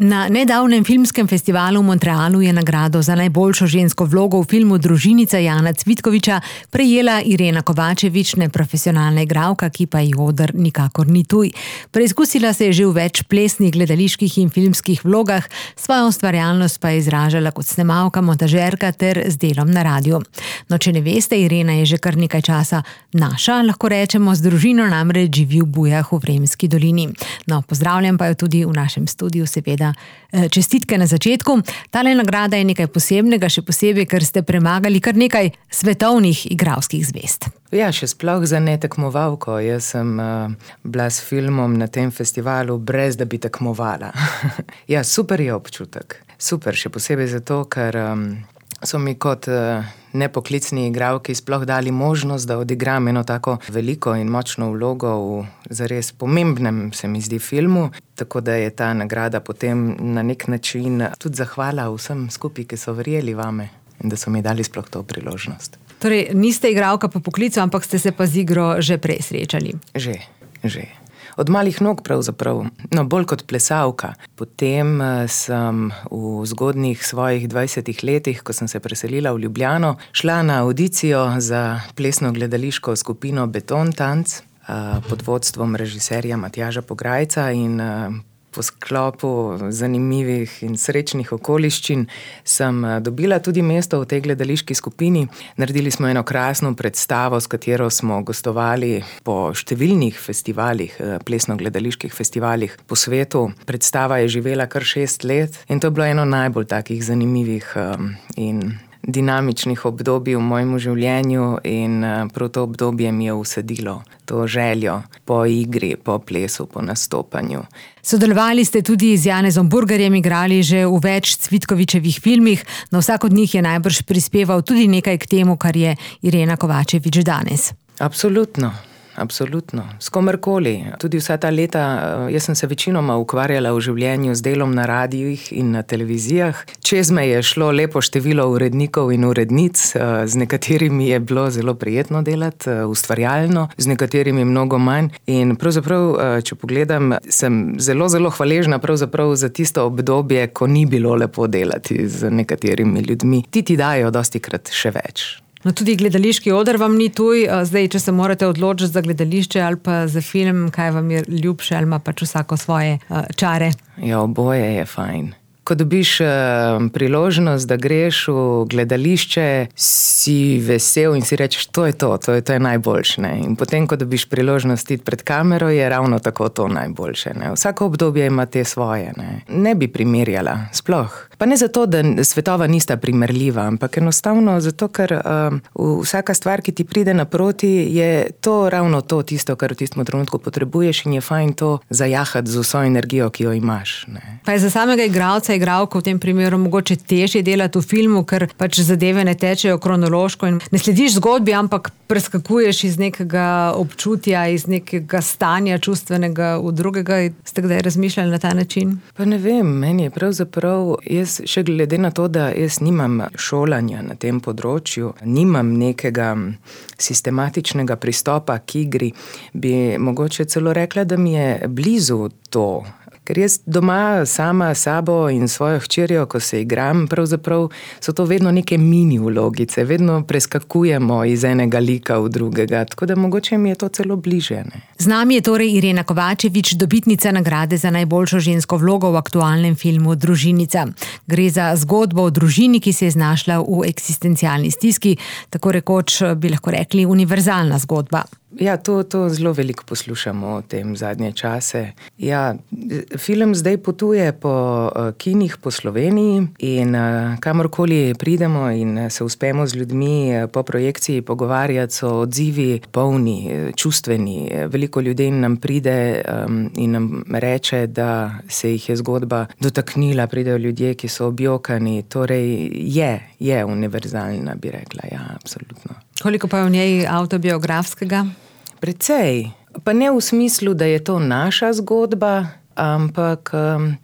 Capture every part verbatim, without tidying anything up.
Na nedavnem filmskem festivalu v Montrealu je nagrado za najboljšo žensko vlogo v filmu Družinica Jana Cvitkoviča prejela Irena Kovačević, neprofesionalna igralka, ki pa ji oder nikakor ni tuj. Preizkusila se je že v več plesnih, gledaliških in filmskih vlogah, svojo ustvarjalnost pa je izražala kot snemalka, montažerka ter z delom na radiju. No, če ne veste, Irena je že kar nekaj časa naša, lahko rečemo, z družino namreč živi v Bujah v Vremski dolini. No, pozdravljam pa jo tudi v našem studiu, seveda. Čestitke na začetku. Tale nagrada je nekaj posebnega, še posebej, ker ste premagali kar nekaj svetovnih igralskih zvezd. Ja, še sploh za ne tekmovalko. Jaz sem uh, bila s filmom na tem festivalu, brez da bi tekmovala. Ja, super je občutek. Super, še posebej zato, ker um, so mi kot uh, nepoklicni igralki sploh dali možnost, da odigram eno tako veliko in močno vlogo v zares pomembnem, se mi zdi, filmu. Tako da je ta nagrada potem na nek način tudi zahvala vsem skupaj, ki so verjeli vame in da so mi dali sploh to priložnost. Torej, niste igralka po poklicu, ampak ste se pa z igro že prej srečali. Že, že. Od malih nog pravzaprav, no bolj kot plesalka. Potem sem v zgodnjih svojih dvajsetih letih, ko sem se preselila v Ljubljano, šla na audicijo za plesno gledališko skupino Beton Tanc pod vodstvom režiserja Matjaža Pograjca in po sklopu zanimivih in srečnih okoliščin sem dobila tudi mesto v tej gledališki skupini. Naredili smo eno krasno predstavo, s katero smo gostovali po številnih festivalih, plesno-gledaliških festivalih po svetu. Predstava je živela kar šest let in to je bilo eno najbolj takih zanimivih in dinamičnih obdobij v mojem življenju in prav to obdobje mi je usadilo to željo po igri, po plesu, po nastopanju. Sodelovali ste tudi z Janezom Burgerjem, igrali že v več Cvitkovičevih filmih, no vsak od njih je najbrž prispeval tudi nekaj k temu, kar je Irena Kovačević danes. Absolutno. Absolutno. S komerkoli. Tudi vsa ta leta, jaz sem se večinoma ukvarjala v življenju z delom na radijih in na televizijah. Čez me je šlo lepo število urednikov in urednic, z nekaterimi je bilo zelo prijetno delati, ustvarjalno, z nekaterimi mnogo manj. In pravzaprav, če pogledam, sem zelo, zelo hvaležna pravzaprav za tisto obdobje, ko ni bilo lepo delati z nekaterimi ljudmi. Ti ti dajo dostikrat še več. No, tudi gledališki oder vam ni tuj. Zdaj, če se morate odločiti za gledališče ali pa za film, kaj vam je ljubše, ali ima pač vsako svoje uh, čare? Ja, oboje je fajn. Ko dobiš uh, priložnost, da greš v gledališče, si vesel in si rečeš, to je to, to je, to je najboljše. Ne? In potem, ko dobiš priložnost iti pred kamero, je ravno tako to najboljše. Ne? Vsako obdobje ima te svoje. Ne, ne bi primerjala, sploh. Pa ne zato, da svetova nista primerljiva, ampak enostavno zato, ker uh, vsaka stvar, ki ti pride naproti, je to ravno to, tisto, kar v tistem trenutku potrebuješ in je fajn to zajahati z vso energijo, ki jo imaš. Ne? Pa je za samega igralca, igralko v tem primeru mogoče težje delati v filmu, ker pač zadeve ne tečejo kronološko in ne slediš zgodbi, ampak preskakuješ iz nekega občutja, iz nekega stanja čustvenega v drugega. Ste kdaj razmišljali na ta način? Pa ne vem, meni je pravzaprav, jaz še glede na to, da jaz nimam šolanja na tem področju, nimam nekega sistematičnega pristopa k igri, bi mogoče celo rekla, da mi je blizu to. Ker jaz doma sama sabo in svojo hčerjo, ko se igram, pravzaprav so to vedno neke mini vlogice, vedno preskakujemo iz enega lika v drugega, tako da mogoče mi je to celo bliže. Ne? Z nami je torej Irena Kovačević, dobitnica nagrade za najboljšo žensko vlogo v aktualnem filmu Družinica. Gre za zgodbo o družini, ki se je znašla v eksistencialni stiski, tako rekoč bi lahko rekli univerzalna zgodba. Ja, to, to zelo veliko poslušamo o tem zadnje čase. Ja, film zdaj potuje po kinih po Sloveniji in kamorkoli pridemo in se uspemo z ljudmi po projekciji pogovarjati, so odzivi polni, čustveni. Veliko ljudi nam pride in nam reče, da se jih je zgodba dotaknila, pridejo ljudje, ki so objokani. Torej je, je univerzalna, bi rekla, ja, absolutno. Koliko pa je v njej avtobiografskega? Precej. Pa ne v smislu, da je to naša zgodba, ampak um,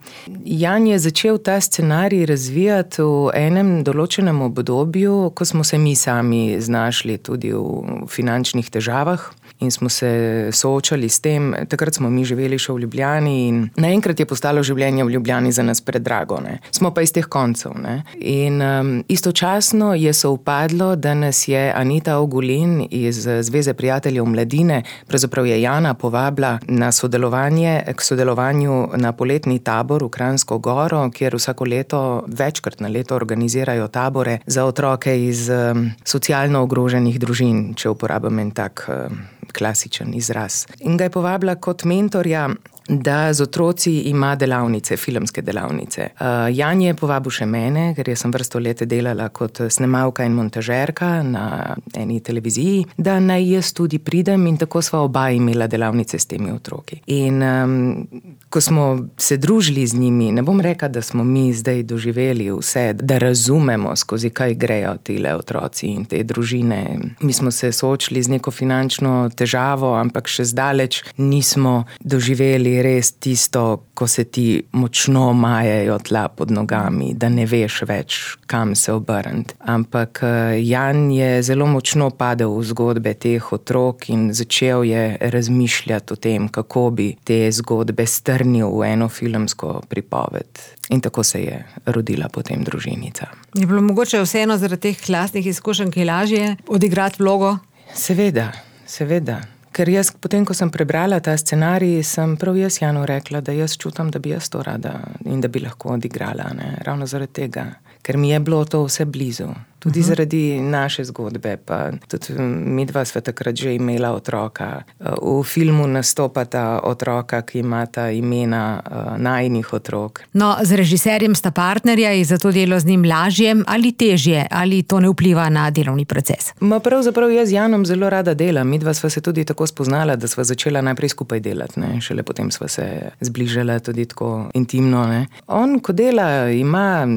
Jan je začel ta scenarij razvijati v enem določenem obdobju, ko smo se mi sami znašli tudi v finančnih težavah in smo se soočali s tem. Takrat smo mi živeli še v Ljubljani in naenkrat je postalo življenje v Ljubljani za nas predrago, ne. Smo pa iz teh koncev, ne. In um, istočasno je sovpadlo, da nas je Anita Ogulin iz Zveze prijateljev mladine, pravzaprav je Jana povabila na sodelovanje, k sodelovanju na poletni tabor v Kranjsko Goro, kjer vsako leto, večkrat na leto organizirajo tabore za otroke iz um, socialno ogroženih družin, če uporabim en tak um, klasičen izraz. In ga je povabila kot mentorja, da z otroci ima delavnice, filmske delavnice. Uh, Jan je povabil še mene, ker jaz sem vrsto let delala kot snemalka in montažerka na eni televiziji, da naj jaz tudi pridem in tako sva oba imela delavnice s temi otroki. In um, ko smo se družili z njimi, ne bom rekla, da smo mi zdaj doživeli vse, da razumemo, skozi kaj grejo tile otroci in te družine. Mi smo se soočili z neko finančno težavo, ampak še zdaleč nismo doživeli res tisto, ko se ti močno majejo tla pod nogami, da ne veš več, kam se obrniti. Ampak Jan je zelo močno padel v zgodbe teh otrok in začel je razmišljati o tem, kako bi te zgodbe strnil v eno filmsko pripoved. In tako se je rodila potem Družinica. Je bilo mogoče vseeno zaradi teh lastnih izkušenj, ki lažje odigrati vlogo? Seveda, seveda. Ker jaz, potem, ko sem prebrala ta scenarij, sem prav jaz Janu rekla, da jaz čutam, da bi jaz to rada in da bi lahko odigrala, ne, ravno zaradi tega. Ker mi je bilo to vse blizu. Tudi uh-huh. zaradi naše zgodbe, pa tudi midva sva takrat že imela otroka. V filmu nastopata otroka, ki imata imena uh, najinih otrok. No, z režiserjem sta partnerja, je zato delo z njim lažje ali težje, ali to ne vpliva na delovni proces? Ma pravzaprav jaz z Janom zelo rada delam. Midva sva se tudi tako spoznala, da sva začela najprej skupaj delati, ne. Šele potem sva se zbližala tudi tako intimno, ne. On, ko dela, ima,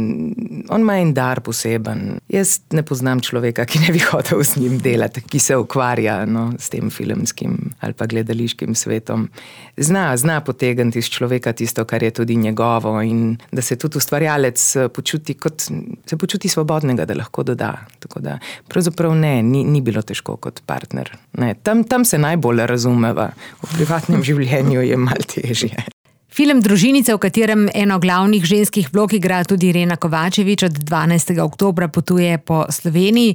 on ima en dar poseben. Jaz ne poznam človeka, ki ne bi hotel s njim delati, ki se ukvarja, no, s tem filmskim ali pa gledališkim svetom. Zna, zna potegniti iz človeka tisto, kar je tudi njegovo in da se tudi ustvarjalec počuti kot, se počuti svobodnega, da lahko doda. Tako da, pravzaprav ne, ni, ni bilo težko kot partner. Ne, tam, tam se najbolj razumeva. V privatnem življenju je malo težje. Film Družinica, v katerem eno glavnih ženskih vlog igra tudi Irena Kovačevič, od dvanajstega oktobra potuje po Sloveniji.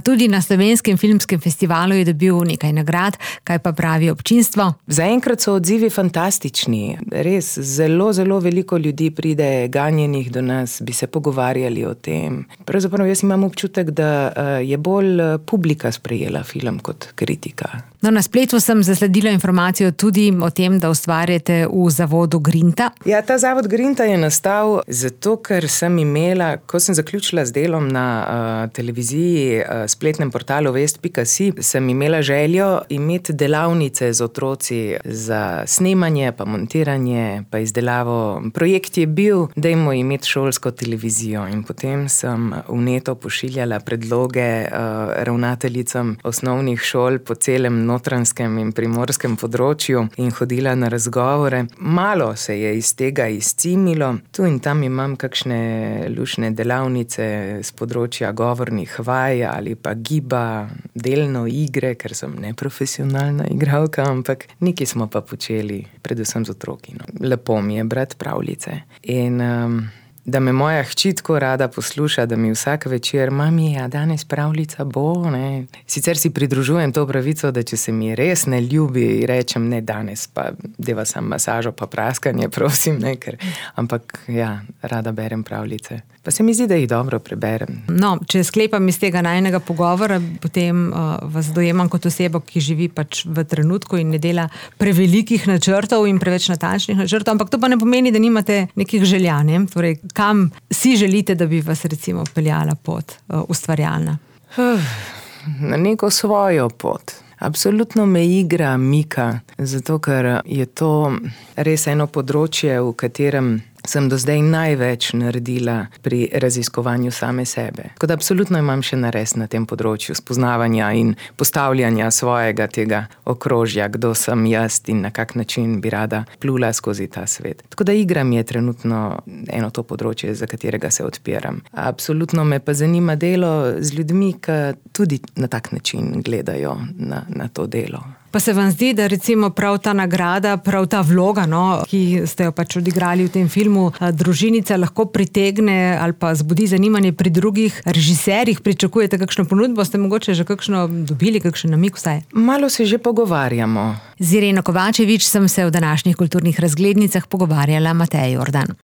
Tudi na Slovenskem filmskem festivalu je dobil nekaj nagrad. Kaj pa pravi občinstvo? Zaenkrat so odzivi fantastični. Res, zelo, zelo veliko ljudi pride ganjenih do nas, bi se pogovarjali o tem. Pravzaprav jaz imam občutek, da je bolj publika sprejela film kot kritika. No, na spletu sem zasledila informacijo tudi o tem, da ustvarjate v zavodu Grinta. Ja, ta zavod Grinta je nastal zato, ker sem imela, ko sem zaključila z delom na uh, televiziji, uh, spletnem portalu vest pika si, sem imela željo imeti delavnice z otroci za snemanje, pa montiranje, pa izdelavo. Projekt je bil, dajmo imeti šolsko televizijo in potem sem v neto pošiljala predloge uh, ravnateljicam osnovnih šol po celem Notranjskem in primorskem področju in hodila na razgovore. Malo se je iz tega izcimilo. Tu in tam imam kakšne lušne delavnice z področja govornih vaj ali pa giba, delno igre, ker sem neprofesionalna igralka, ampak nekaj smo pa počeli, predvsem z otroki. No. Lepo mi je brati pravljice. In um, da me moja hči tako rada posluša, da mi vsak večer, mami, a danes pravljica bo, ne. Sicer si pridružujem to pravico, da če se mi res ne ljubi, rečem, ne danes, pa deva sam masažo, pa praskanje, prosim, ne, ker, ampak ja, rada berem pravljice. Pa se mi zdi, da jih dobro preberem. No, če sklepam iz tega najinega pogovora, potem uh, vas dojemam kot osebo, ki živi pač v trenutku in ne dela prevelikih načrtov in preveč natančnih načrtov, ampak to pa ne pomeni, da nimate nekih želja, ne? Torej, kam si želite, da bi vas recimo peljala pot uh, ustvarjalna? Na neko svojo pot. Absolutno me igra mika, zato ker je to res eno področje, v katerem sem do zdaj največ naredila pri raziskovanju same sebe. Tako da absolutno imam še nares na tem področju spoznavanja in postavljanja svojega tega okrožja, kdo sem jaz in na kak način bi rada plula skozi ta svet. Tako da igra mi je trenutno eno to področje, za katerega se odpiram. Absolutno me pa zanima delo z ljudmi, ki tudi na tak način gledajo na, na to delo. Pa se vam zdi, da recimo prav ta nagrada, prav ta vloga, no, ki ste jo pač odigrali v tem filmu, Družinica, lahko pritegne ali pa zbudi zanimanje pri drugih režiserjih? Pričakujete kakšno ponudbo? Ste mogoče že kakšno dobili, kakšen namig vsaj? Malo se že pogovarjamo. Z Ireno Kovačevič sem se v današnjih kulturnih razglednicah pogovarjala Mateja Jordan.